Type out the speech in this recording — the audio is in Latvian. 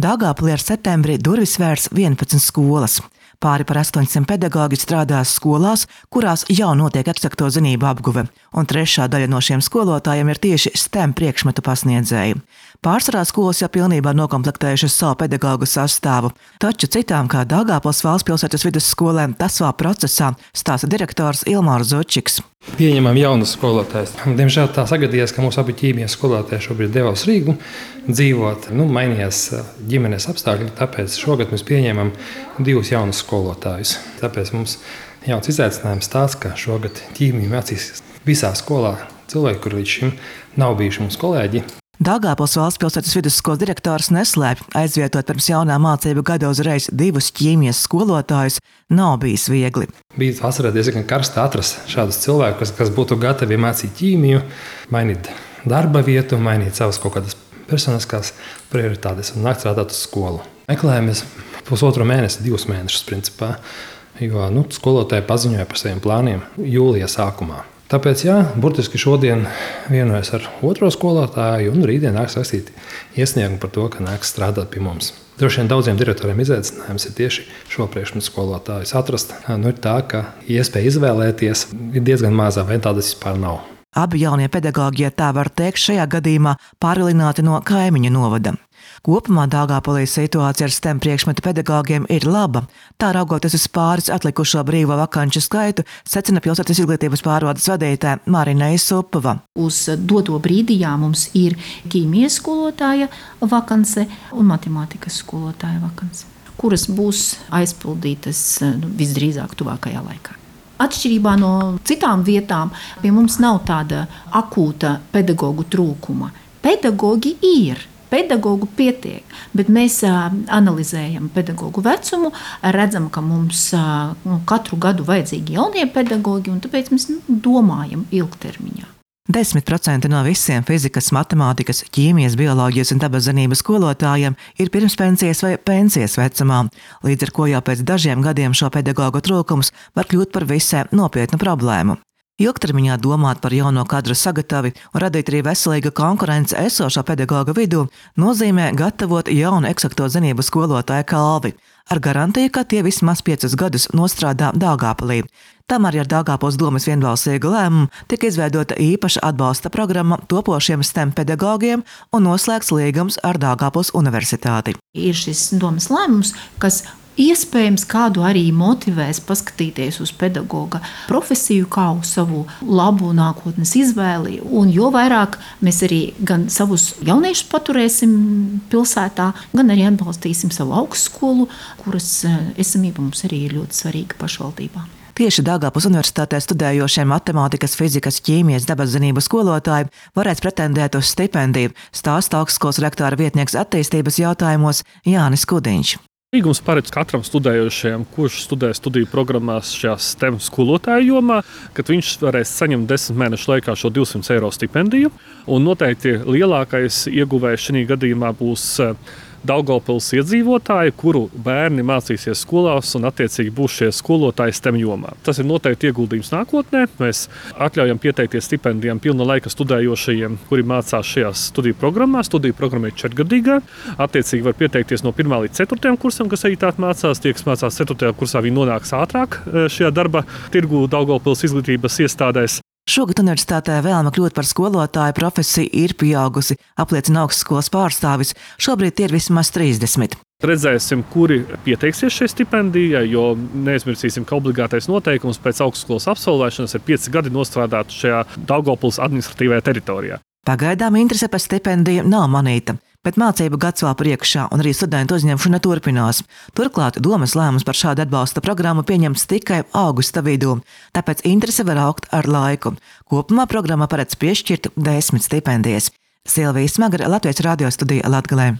Daugavpilī ar septembrī durvis vērs 11 skolas. Pāri par 800 pedagoģi strādās skolās, kurās jau notiek eksakto zinātņu apguve, un trešā daļa no šiem skolotājiem ir tieši STEM priekšmetu pasniedzēji. Pārsvarā skolas jau pilnībā nokomplektējušas savu pedagoģu sastāvu, taču citām, kā Daugavpils Valstspilsētas vidusskolēm, tas vēl procesā, stāsta direktors Ilmārs Zučiks. Pieņemam jaunus skolotājus. Diemžēl tā sagadījās, ka mūsu abi ķīmijas skolotāji šobrīd devās Rīgu dzīvot. Mainījās ģimenes apstākļi, tāpēc šogad mēs pieņemam 2 jaunus skolotājus. Tāpēc mums jauns izaicinājums tāds, ka šogad ķīmiju mācīs visā skolā cilvēki, kur līdz šim nav bijuši mūsu kolēģi. Daugavpils Valstspilsētas vidusskolas direktors neslēpj, aizvietot pirms jaunā mācību gada uzreiz 2 ķīmijas skolotājus nav bijis viegli. Bija vasarā diezgan karsti atrast šādus cilvēkus, kas būtu gatavi mācīt ķīmiju, mainīt darba vietu, mainīt savas kaut kādas personiskās prioritātes un nākt strādāt uz skolu. Meklējamies 1,5 mēnesi, 2 mēnešus principā, jo skolotāji paziņoja par saviem plāniem jūlija sākumā. Tāpēc, burtiski šodien vienojos ar otro skolotāju un rītdien nāks rakstīt iesniegumu par to, ka nāks strādāt pie mums. Droši vien daudziem direktoriem izaicinājums ir tieši šo priekšmetu skolotājus atrast. Ir tā, ka iespēja izvēlēties ir diezgan mazā, vai tādas vispār nav. Abi jaunie pedagoģi, ja tā var teikt, šajā gadījumā pārvilināti no kaimiņu novada. Kopumā Daugavpilī situācija ar STEM priekšmetu pedagogiem ir laba. Tā raugoties uz pāris atlikušo brīvo vakanču skaitu, secina pilsētas izglītības pārvaldes vadītāja Marina Isupova. Uz doto brīdī mums ir ķīmijas skolotāja vakance un matemātikas skolotāja vakance, kuras būs aizpildītas visdrīzāk tuvākajā laikā. Atšķirībā no citām vietām pie mums nav tāda akūta pedagoģu trūkuma. Pedagoģi ir. Pedagogu pietiek, bet mēs analizējam pedagogu vecumu, redzam, ka mums katru gadu vajadzīgi jaunie pedagogi, un tāpēc mēs domājam ilgtermiņā. 10% no visiem fizikas, matemātikas, ķīmijas, bioloģijas un dabaszinību skolotājiem ir pirmspensijas vai pensijas vecumā, līdz ar ko jau pēc dažiem gadiem šo pedagogu trūkums var kļūt par visai nopietnu problēmu. Ilgtermiņā domāt par jauno kadru sagatavi un radīt arī veselīgu konkurenci esošo pedagogu vidū nozīmē gatavot jaunu eksakto zinību skolotāju kalvi, ar garantiju, ka tie vismaz 5 gadus nostrādā Daugavpilī. Tamēr ar Daugavpils domes vienbalsīgu lēmumu tika izveidota īpaša atbalsta programma topošiem STEM pedagogiem un noslēgts līgums ar Daugavpils universitāti. Ir šis domes lēmums, kas iespējams kādu arī motivēs paskatīties uz pedagoga profesiju kā uz savu labu nākotnes izvēli, un jo vairāk mēs arī gan savus jauniešus paturēsim pilsētā, gan arī atbalstīsim savu augstskolu, kuras esamība mums arī ir ļoti svarīga pašvaldībā. Tieši Daugavpils universitātē studējošie matemātikas, fizikas, ķīmijas, dabaszinību skolotāji varēs pretendēt uz stipendiju, stāsta augstskolas rektora vietnieks attīstības jautājumos Jānis Kudiņš. Līgums paredz katram studējošajam, kurš studē studiju programmās šajā STEM skolotāju jomā, kad viņš varēs saņemt 10 mēnešu laikā šo 200 eiro stipendiju. Un noteikti lielākais ieguvējs šajā gadījumā būs Daugavpils iedzīvotāji, kuru bērni mācīsies skolās un attiecīgi būs šie skolotāji STEM jomā. Tas ir noteikti ieguldījums nākotnē. Mēs atļaujam pieteikties stipendijām pilna laika studējošajiem, kuri mācās šajās studiju programmās. Studiju programma ir 4-gadīgā. Attiecīgi var pieteikties no 1. līdz 4. kursam, kas arī tātad mācās. Tie, kas mācās 4. kursā, viņi nonāks ātrāk šajā darba tirgu Daugavpils izglītības iestādēs. Šogad universitātē vēlme kļūt par skolotāju profesiju ir pieaugusi, apliecina augstskolas pārstāvis. Šobrīd tie ir vismaz 30. Redzēsim, kuri pieteiksies šai stipendijai, jo neaizmirsīsim, ka obligātais noteikums pēc augstskolas absolvēšanas ir 5 gadi nostrādāt šajā Daugavpils administratīvajā teritorijā. Pagaidām interese par stipendiju nav manīta, bet mācību gads vēl priekšā un arī studentu uzņemšana turpinās. Turklāt domes lēmums par šādu atbalsta programmu pieņemts tikai augusta vidū, tāpēc interese var augt ar laiku. Kopumā programma paredz piešķirt 10 stipendijas. Silvija Smagara, Latvijas radio studija Latgalē.